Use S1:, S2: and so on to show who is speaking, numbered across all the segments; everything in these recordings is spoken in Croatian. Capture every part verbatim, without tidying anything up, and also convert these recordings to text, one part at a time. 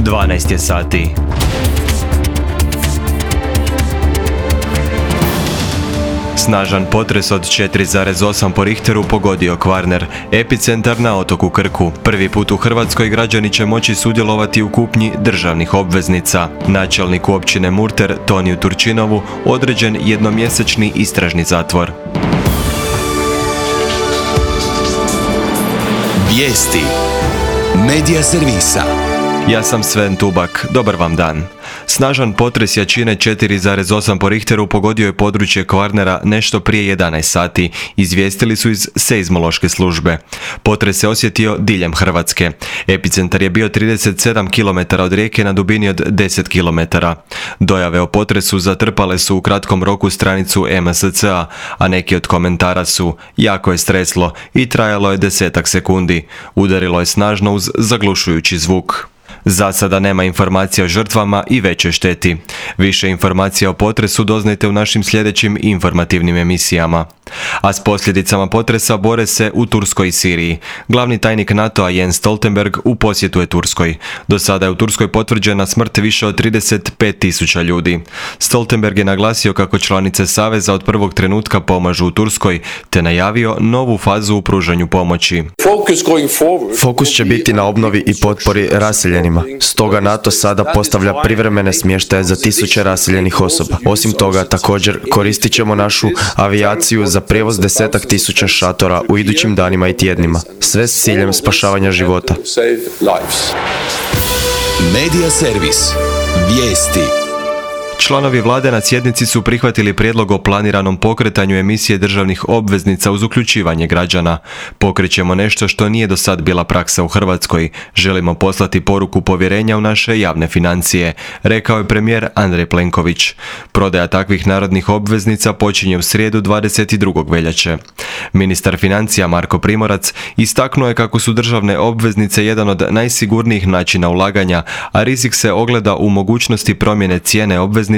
S1: dvanaest je sati. Snažan potres od četiri zarez osam po Richteru pogodio Kvarner, epicentar na otoku Krku. Prvi put u Hrvatskoj građani će moći sudjelovati u kupnji državnih obveznica. Načelniku općine Murter, Toniju Turčinovu, određen jednomjesečni istražni zatvor.
S2: Vijesti Medija servisa.
S1: Ja sam Sven Tubak, dobar vam dan. Snažan potres jačine četiri zarez osam po Richteru pogodio je područje Kvarnera nešto prije jedanaest sati, izvijestili su iz seizmološke službe. Potres se osjetio diljem Hrvatske. Epicentar je bio trideset sedam kilometara od rijeke na dubini od deset kilometara. Dojave o potresu zatrpale su u kratkom roku stranicu em es ce a, a neki od komentara su: jako je streslo i trajalo je desetak sekundi. Udarilo je snažno uz zaglušujući zvuk. Za sada nema informacija o žrtvama i većoj šteti. Više informacija o potresu doznajte u našim sljedećim informativnim emisijama. A s posljedicama potresa bore se u Turskoj i Siriji. Glavni tajnik NATO-a Jens Stoltenberg u posjetu je Turskoj. Do sada je u Turskoj potvrđena smrt više od trideset pet tisuća ljudi. Stoltenberg je naglasio kako članice Saveza od prvog trenutka pomažu u Turskoj, te najavio novu fazu u pružanju pomoći.
S3: Fokus će biti na obnovi i potpori raseljenima. Stoga NATO sada postavlja privremene smještaje za tisuće raseljenih osoba. Osim toga, također koristit ćemo našu avijaciju za prijevoz desetak tisuća šatora u idućim danima i tjednima. Sve s ciljem spašavanja života.
S2: Medija servis. Vijesti.
S1: Članovi vlade na sjednici su prihvatili prijedlog o planiranom pokretanju emisije državnih obveznica uz uključivanje građana. Pokrećemo nešto što nije do sad bila praksa u Hrvatskoj. Želimo poslati poruku povjerenja u naše javne financije, rekao je premijer Andrej Plenković. Prodaja takvih narodnih obveznica počinje u srijedu dvadeset drugog veljače. Ministar financija Marko Primorac istaknuo je kako su državne obveznice jedan od najsigurnijih načina ulaganja, a rizik se ogleda u mogućnosti promjene cijene obveznice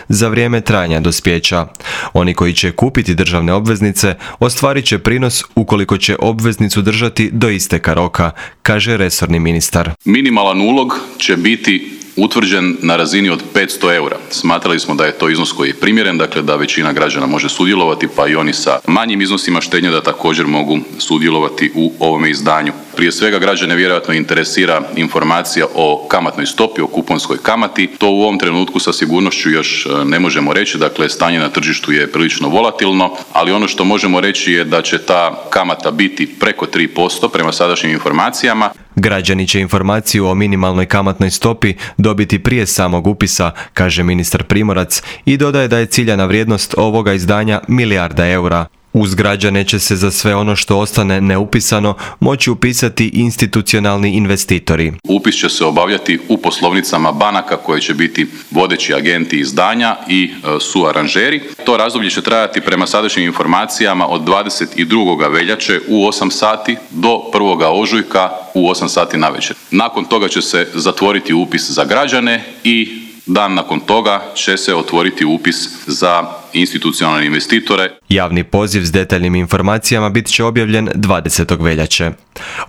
S1: za vrijeme trajanja dospijeća. Oni koji će kupiti državne obveznice ostvarit će prinos ukoliko će obveznicu držati do isteka roka, kaže resorni ministar.
S4: Minimalan ulog će biti utvrđen na razini od petsto eura. Smatrali smo da je to iznos koji je primjeren, dakle da većina građana može sudjelovati, pa i oni sa manjim iznosima štednje da također mogu sudjelovati u ovome izdanju. Prije svega građane vjerojatno interesira informacija o kamatnoj stopi, o kuponskoj kamati. To u ovom trenutku sa sigurnošću još ne možemo reći, dakle stanje na tržištu je prilično volatilno, ali ono što možemo reći je da će ta kamata biti preko tri posto prema sadašnjim informacijama.
S1: Građani će informaciju o minimalnoj kamatnoj stopi dobiti prije samog upisa, kaže ministar Primorac, i dodaje da je ciljana vrijednost ovoga izdanja milijarda eura. Uz građane će se za sve ono što ostane neupisano moći upisati institucionalni investitori.
S4: Upis će se obavljati u poslovnicama banaka koje će biti vodeći agenti izdanja i e, suaranžeri. To razdoblje će trajati prema sadašnjim informacijama od dvadeset drugog veljače u osam sati do prvog ožujka u osam sati navečer. Nakon toga će se zatvoriti upis za građane i dan nakon toga će se otvoriti upis za institucionalne investitore.
S1: Javni poziv s detaljnim informacijama bit će objavljen dvadesetog veljače.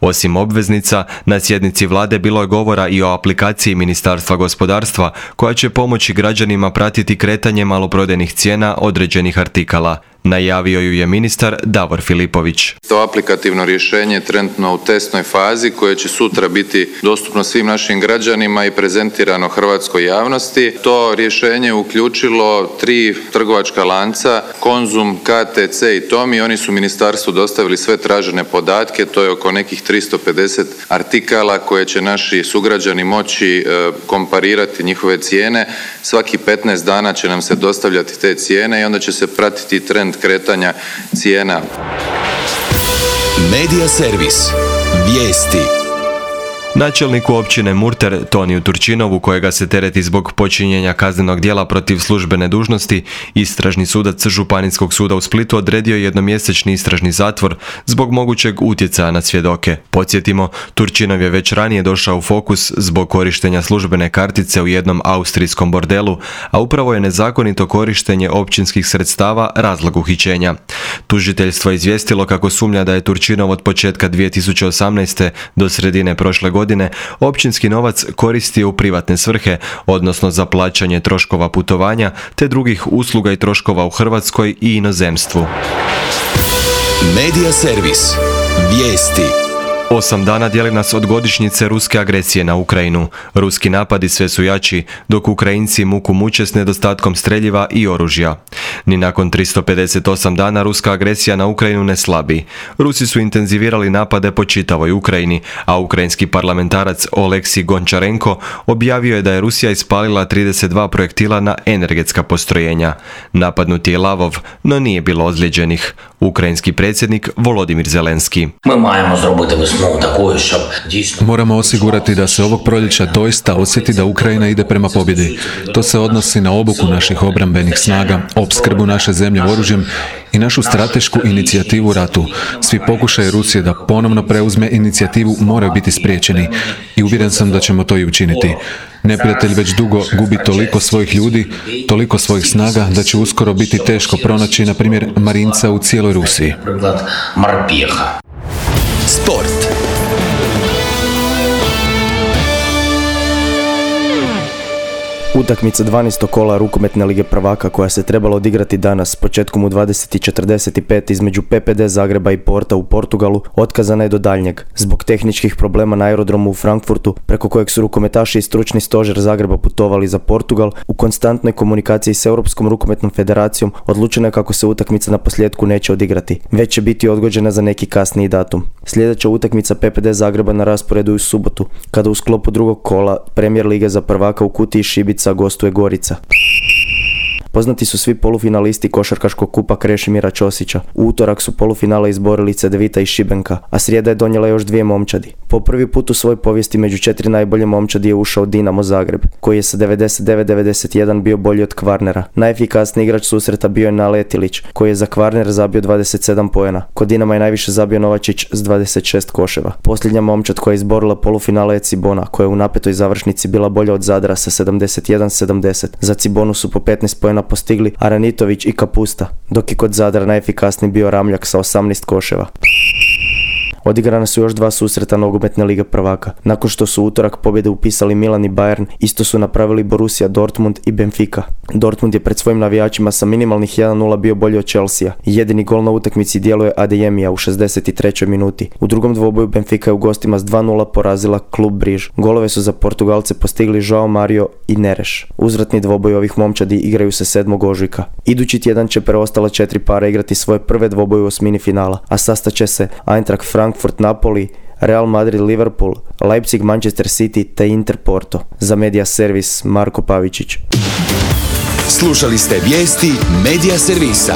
S1: Osim obveznica, na sjednici vlade bilo je govora i o aplikaciji Ministarstva gospodarstva koja će pomoći građanima pratiti kretanje maloprodajnih cijena određenih artikala. Najavio ju je ministar Davor Filipović.
S5: To aplikativno rješenje je trenutno u testnoj fazi koje će sutra biti dostupno svim našim građanima i prezentirano hrvatskoj javnosti. To rješenje uključilo tri trgovačka lanca, Konzum, K T C i Tomi. Oni su ministarstvu dostavili sve tražene podatke, to je oko nekih tristo pedeset artikala koje će naši sugrađani moći e, komparirati njihove cijene. Svaki petnaest dana će nam se dostavljati te cijene i onda će se pratiti trend kretanja cijena.
S2: Medija servis. Vijesti.
S1: Načelniku općine Murter, Toniju Turčinovu, kojega se tereti zbog počinjenja kaznenog djela protiv službene dužnosti, istražni sudac Županijskog suda u Splitu odredio jednomjesečni istražni zatvor zbog mogućeg utjecaja na svjedoke. Podsjetimo, Turčinov je već ranije došao u fokus zbog korištenja službene kartice u jednom austrijskom bordelu, a upravo je nezakonito korištenje općinskih sredstava razlog uhićenja. Tužiteljstvo je izvijestilo kako sumnja da je Turčinov od početka dvije tisuće osamnaeste do sredine prošle godine godine općinski novac koristio u privatne svrhe, odnosno za plaćanje troškova putovanja te drugih usluga i troškova u Hrvatskoj i inozemstvu.
S2: Medija servis. Vijesti.
S1: Osam dana dijeli nas od godišnjice ruske agresije na Ukrajinu. Ruski napadi sve su jači, dok Ukrajinci muku muče s nedostatkom streljiva i oružja. Ni nakon tristo pedeset osam dana ruska agresija na Ukrajinu ne slabi. Rusi su intenzivirali napade po čitavoj Ukrajini, a ukrajinski parlamentarac Oleksij Gončarenko objavio je da je Rusija ispalila trideset dva projektila na energetska postrojenja. Napadnut je Lavov, no nije bilo ozlijeđenih. Ukrajinski predsjednik Volodimir Zelenski.
S6: Moramo osigurati da se ovog proljeća doista osjeti da Ukrajina ide prema pobjedi. To se odnosi na obuku naših obrambenih snaga, opskrbu naše zemlje oružjem i našu stratešku inicijativu u ratu. Svi pokušaji Rusije da ponovno preuzme inicijativu moraju biti spriječeni i uvjeren sam da ćemo to i učiniti. Neprijatelj već dugo gubi toliko svojih ljudi, toliko svojih snaga da će uskoro biti teško pronaći, na primjer, marinca u cijeloj Rusiji.
S2: Sport.
S3: Utakmica dvanaestog kola rukometne lige prvaka koja se trebala odigrati danas početkom u dvadeset i četrdeset pet između P P D Zagreba i Porta u Portugalu otkazana je do daljnjeg zbog tehničkih problema na aerodromu u Frankfurtu, preko kojeg su rukometaši i stručni stožer Zagreba putovali za Portugal. U konstantnoj komunikaciji s Europskom rukometnom federacijom odlučeno je kako se utakmica na posljedku neće odigrati, već će biti odgođena za neki kasniji datum. Sljedeća utakmica P P D Zagreba na rasporedu je u subotu, kada u sklopu drugog kola Premier lige za prvaka u Kutiji Šibica gostuje Gorica. Poznati su svi polufinalisti košarkaškog kupa Krešimira Ćosića. U utorak su polufinale izborili Cedevita i Šibenka, a srijeda je donijela još dvije momčadi. Po prvi put u svojoj povijesti među četiri najbolje momčadi je ušao Dinamo Zagreb, koji je sa devedeset devet devedeset jedan bio bolji od Kvarnera. Najefikasniji igrač susreta bio je Naletilić, koji je za Kvarner zabio dvadeset sedam poena. Kod Dinama je najviše zabio Novačić s dvadeset šest koševa. Posljednja momčad koja je izborila polufinale je Cibona, koja je u napetoj završnici bila bolja od Zadra sa sedamdeset jedan sedamdeset. Za Cibonu su po petnaest poena postigli Aranitović i Kapusta, dok je kod Zadra najefikasniji bio Ramljak sa osamnaest koševa. Odigrana su još dva susreta nogometne lige prvaka. Nakon što su utorak pobjede upisali Milan i Bayern, isto su napravili Borussia Dortmund i Benfica. Dortmund je pred svojim navijačima sa minimalnih jedan nula bio bolji od Chelsea. Jedini gol na utakmici djeluje Adeyemija u šezdeset trećoj minuti. U drugom dvoboju Benfica je u gostima s dva nula porazila klub Briž. Golove su za Portugalce postigli Joao Mario i Neres. Uzvratni dvoboj ovih momčadi igraju se sedmog ožujka. Idući tjedan će preostala četiri para igrati svoje prve dvoboje u osmini finala, a sastaće se Eintracht Frankfurt Napoli, Real Madrid Liverpool, Leipzig Manchester City te Inter Porto. Za Medija servis Marko Pavičić.
S2: Slušali ste vijesti Medija servisa.